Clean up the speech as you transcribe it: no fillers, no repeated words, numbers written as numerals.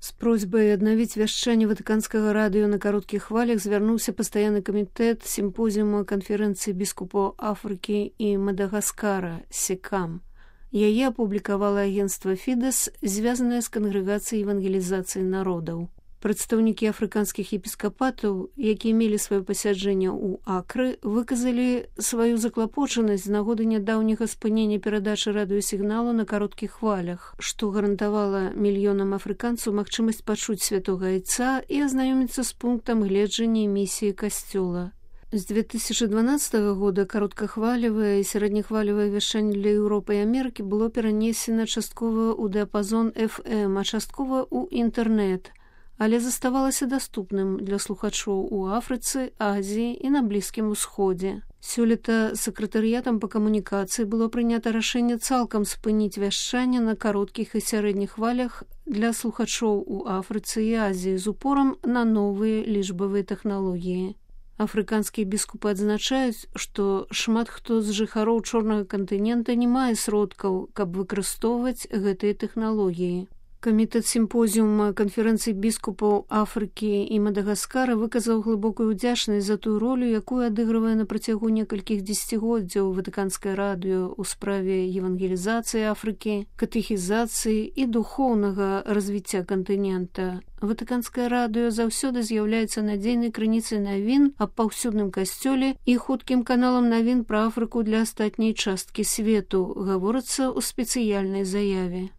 З просьбай аднавіць вяшчанне ватыканскага радыё на кароткіх хвалях звярнуўся пастаянны камітэт сімпозіума канферэнцыі біскупаў Афрыкі і Мадагаскара СЕКАМ. Яе апублікавала агенцтва «Фідэс», звязанае з кангрэгацыяй евангелізацыі народаў. Прадстаўнікі афрыканскіх епіскапатаў, якія мелі сваё пасяджэнне ў Акры, выказалі сваю заклапочанасць з нагоды нядаўняга спынення перадачы радыёсігналу на кароткіх хвалях, што гарантавала мільёнам афрыканцаў магчымасць пачуць святога айца і азнаёміцца з пунктам гледжання місіі касцёла. З 2012 года кароткахвалевае і сярэднехвалевае вяшчанне для Еўропы і Амерыкі было перанесена часткова ў дыяпазон FM, а часткова ў інтэрнэт, але заставалася даступным для слухачоў у Афрыцы, Азіі і на Блізкім Усходзе. Сёлета сакратарыятам па камунікацыі было прынята рашэнне цалкам спыніць вяшчанне на кароткіх і сярэдніх хвалях для слухачоў у Афрыцы і Азіі з упорам на новыя лічбавыя тэхналогіі. Афрыканскія біскупы адзначаюць, што шмат хто з жыхароў чорнага кантынента не мае сродкаў, каб выкарыстоўваць гэтыя тэхналогіі. Камітэт сімпозіума канферэнцыі біскупаў Афрыкі і Мадагаскара выказаў глыбокую ўдзячнасць за тую ролю, якую адыгрывае на працягу некалькіх дзесяцігоддзяў ватыканскае радыё ў справе евангелізацыі Афрыкі, катэхізацыі і духоўнага развіцця кантынента. Ватыканскае радыё заўсёды з'яўляецца надзейнай крыніцай навін аб паўсюдным касцёле і хуткім каналам навін пра Афрыку для астатняй часткі свету, гаворыцца ў спецыяльнай заяве.